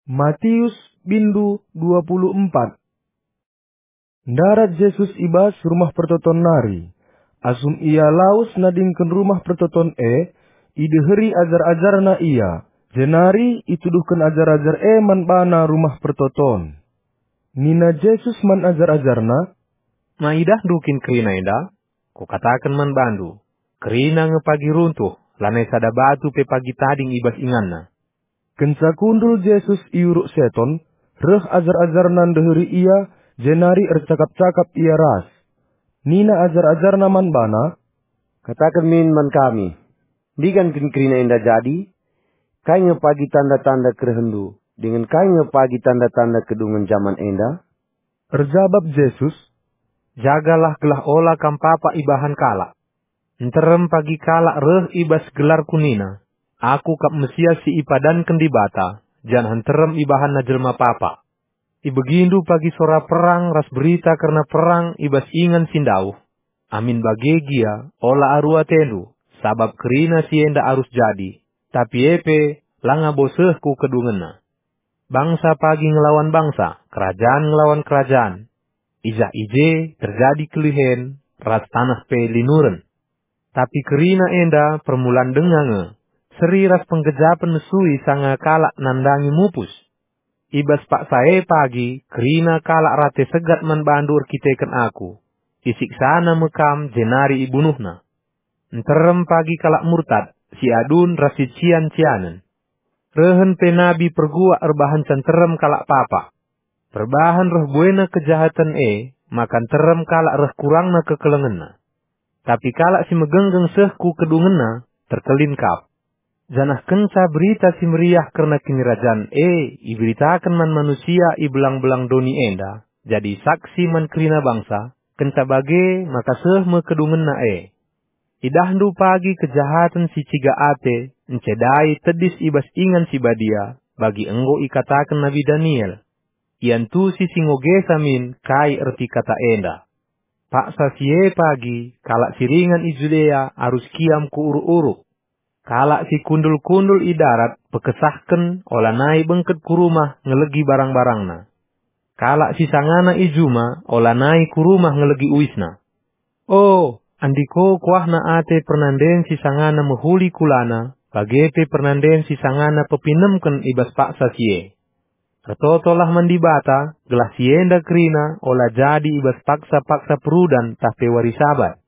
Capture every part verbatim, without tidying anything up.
Matius bindu dua puluh empat. Ndarat Jesus i bas rumah pertoton nari. Asum Ia lawes nadingken rumah pertoton e, ideheri ajar-ajarNa Ia, jenari ituduhken ajar-ajar e man baNa rumah pertoton. Nina Jesus man ajar-ajarNa, "Ma idahndu kin kerina enda? Kukataken man bandu, kerina nge pagi runtuh, lanai sada batu pe pagi tading i bas inganna." Kenca kundul Jesus i Uruk Seton, reh ajar-ajarNa ndeheri Ia, jenari ercakap-cakap Ia ras. Nina ajar-ajarNa man baNa, "Kataken min man kami, ndigan kin kerina enda jadi? Kai nge pagi tanda-tanda kerehenNdu, dingen kai nge pagi tanda-tanda kedungen jaman enda?" Erjabap Jesus, "Jagalah gelah ola kam papa ibahan kalak. Nterem pagi kalak reh i bas gelarKu nina, 'Aku kap Mesias si ipadanken Dibata,' janah nterem ibahanna jelma papa. Ibegindu pagi sora perang ras berita kerna perang i bas ingan si ndauh. Amin bage gia, ola aru atendu, sabap kerina si enda arus jadi, tapi e pe langa bo seh ku kedungenna. Bangsa pagi ngelawan bangsa, kerajan ngelawan kerajan. I jah i je terjadi kelihen, ras taneh pe linuren. Tapi kerina enda permulan denga nge, seri ras penggejapen mesui sanga kalak nandangi mupus. I bas paksa e pagi kerina kalak rate segat man bandu erkiteken Aku. Isiksana me kam jenari ibunuhna. Nterem pagi kalak murtad, si adun ras si cian-cianen. Rehen pe nabi perguak erbahanca nterem kalak papa. Perbahan reh buena kejahaten e, maka nterem kalak reh kurangna kekelengenna. Tapi kalak si megenggeng seh ku kedungenna, terkelin kap. Janah kenca Berita Si Meriah kerna Kinirajan e iberitaken man manusia i belang-belang doni enda, jadi saksi man kerina bangsa, kenca bage maka seh me kedungenna e. Idahndu pagi kejahaten si ciga ate, encedai tedis i bas ingan si badia, bagi enggo ikataken nabi Daniel. Iantusi si ngogesa min kai erti kata enda. Paksa si e pagi, kalak si ringan i Judea arus kiam ku uruk-uruk. Kalak si kundul-kundul i darat pekesahken olanai bengket ku rumah ngelegi barang-barangna. Kalak si sangana i juma olanai ku rumah ngelegi uisna. O, andiko kuahna ate pernanden si sangana mehuli kulana, bage pe pernanden si sangana pepinemken i bas paksa si e. Ertotolah man Dibata, gelah si enda kerina ola jadi i bas paksa-paksa perudan tah pe wari Sabat.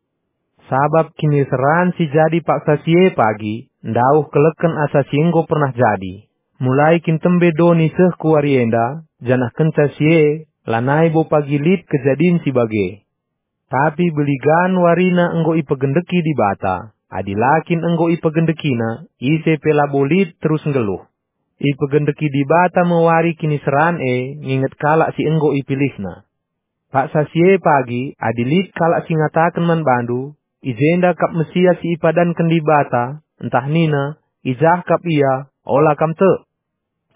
Sabap kiniseran si jadi paksa si e pagi, ndauh keleken asa si enggo pernah jadi. Mulai kin tembe doni seh ku wari enda, janah kenca si e, lanai bo pagi lit kejadin si bage. Tapi beligan warina enggo ipegendeki Dibata, adi la kin enggo ipegendekina, ise pe labo lit terus nggeluh. Ipegendeki Dibata me wari kiniseran e nginget kalak si enggo ipilihNa. Paksa si e pagi, adi lit kalak si ngataken man bandu, "I jenda kap Mesias si ipadanken Dibata," ntah nina, "I jah kap Ia," ola kam tek.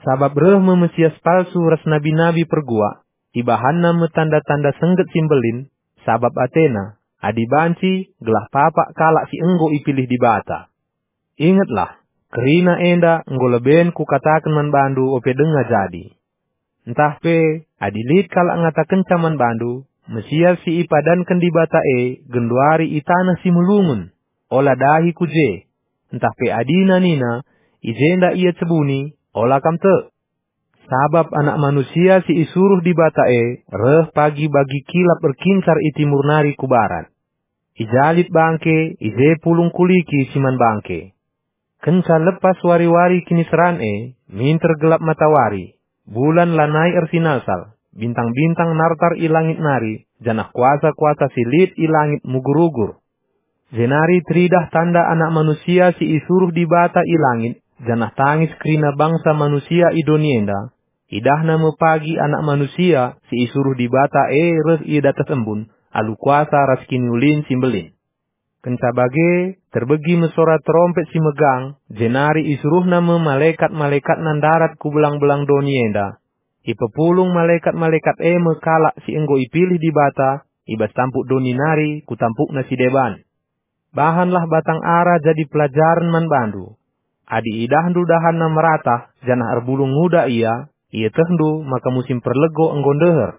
Sabap reh me Mesias palsu ras nabi-nabi perguak, ibahanna me tanda-tanda sengget si mbelin, sabap atena, adi banci, gelah papak kalak si enggo ipilih Dibata. Ingetlah, kerina enda enggo leben kukataken man bandu ope denga jadi. Ntah pe, adi lit kalak ngatakenca man bandu, "Mesias si ipadanken Dibata e genduari i taneh si melungun," ola dahi ku je. Ntah pe adina nina, "I jenda ia cebuni," ola kam tek. Sabap Anak Manusia si isuruh Dibata e reh pagi bagi kilap erkincar i timur nari ku barat. I ja lit bangke, i je pulung kuliki si man bangke. Kenca lepas wari-wari kiniseran e, minter gelap matawari, bulan lanai ersinalsal, bintang-bintang nartar i langit nari, janah kuasa-kuasa si lit i langit mugur-ugur. Jenari teridah tanda Anak Manusia si isuruh Dibata i langit, janah tangis kerina bangsa manusia i doni enda. Idahna me pagi Anak Manusia si isuruh Dibata e reh i datas embun, alu kuasa ras kiniulin si mbelin. Kenca bage, terbegi me sora terompet si megang, jenari isuruhna me malekat-malekatna ndarat ku belang-belang doni enda. Ipepulung malekat-malekat e me kalak si enggo ipilih Dibata i bas tampuk doni nari ku tampukna si deban. Bahanlah batang ara jadi pelajaren man bandu. Adi idahndu dahanna meratah janah erbulung nguda ia, ietehndu maka musim perlego enggo ndeher.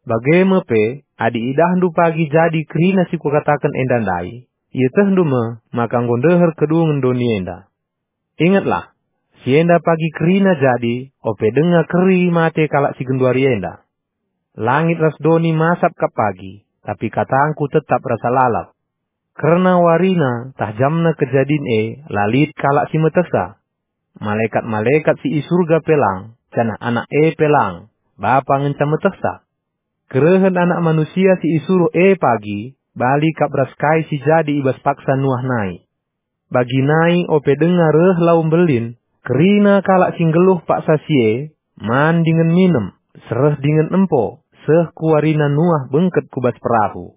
Bage me pe, adi idahndu pagi jadi kerina si kukataken enda ndai, ietehndu me maka enggo ndeher kedungen doni enda. Ingetlah, si enda pagi kerina jadi, ope denga keri mate kalak si genduari enda. Langit ras doni masap kap pagi, tapi katangku tetap rasa lalap. Kerna warina tah jamna kejadin e la lit kalak si metehsa. Malekat-malekat si i Surga pe lang, janah Anak e pe lang, Bapa ngenca metehsa. Kerehen Anak Manusia si isuruh e pagi, bali kap ras kai si jadi i bas paksa Nuah nai. Bagi nai ope denga reh lau mbelin, kerina kalak si nggeluh paksa si e, man dingen minem, sereh dingen empo, seh ku warina Nuah bengket ku bas perahu.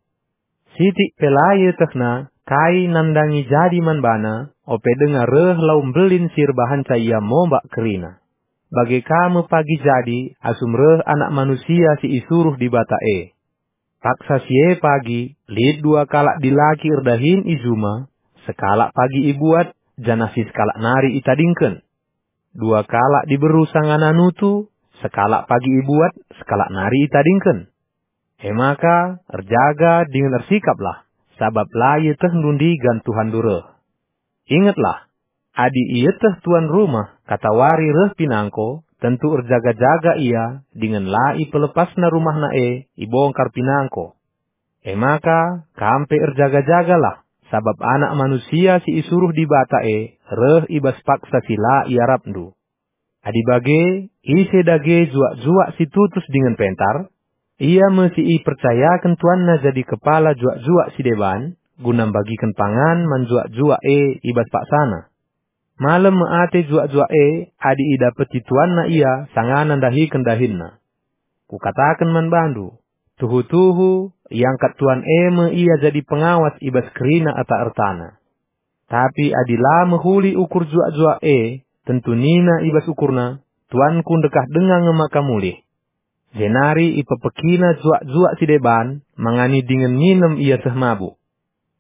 Sitik pe la ietehna kai nandangi jadi man bana, ope denga reh lau mbelin si erbahanca ia mombak kerina. Bage ka me pagi jadi asum reh Anak Manusia si isuruh Dibata e. Paksa si e pagi, lit dua kalak dilaki erdahin i juma, sekalak pagi ibuat, janah si sekalak nari itadingken. Dua kalak diberu sangana nutu, sekalak pagi ibuat, sekalak nari itadingken. E maka, erjaga dingen ersikaplah, sabap la ietehndu ndigan Tuhanndu reh. Ingetlah, adi ieteh tuan rumah katawari reh pinangko, tentu erjaga-jaga ia dingen la ipelepasna rumahna e ibongkar pinangko. E maka, kam pe erjaga-jagalah, sabap Anak Manusia si isuruh Dibata e reh i bas paksa si la iarapndu. Adi bage, ise dage juak-juak si tutus dingen pentar? Ia me si ipercayaken tuanna jadi kepala juak-juak si deban, guna mbagiken pangan man juak-juak e i bas paksana. Malem me ate juak-juak e adi idapeti tuanna ia sangana ndahiken dahinna. Kukataken man bandu, tuhu-tuhu, iangkat tuan e me ia jadi pengawas i bas kerina ata ertana. Tapi adi la mehuli ukur juak-juak e, tentu nina i bas ukurna, "Tuanku ndekah denga nge maka mulih." Jenari ipepekina juak-juak si deban, mangani dingen nginem ia seh mabuk.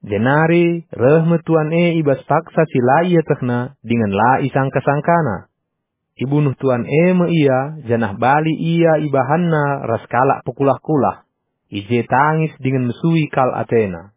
Jenari reh me tuan e i bas paksa si la ietehna dingen la isangka-sangkana. Ibunuh tuan e me ia, janah bali ia ibahanna ras kalak pekulah-kulah. I je tangis dingen mesui kal atena.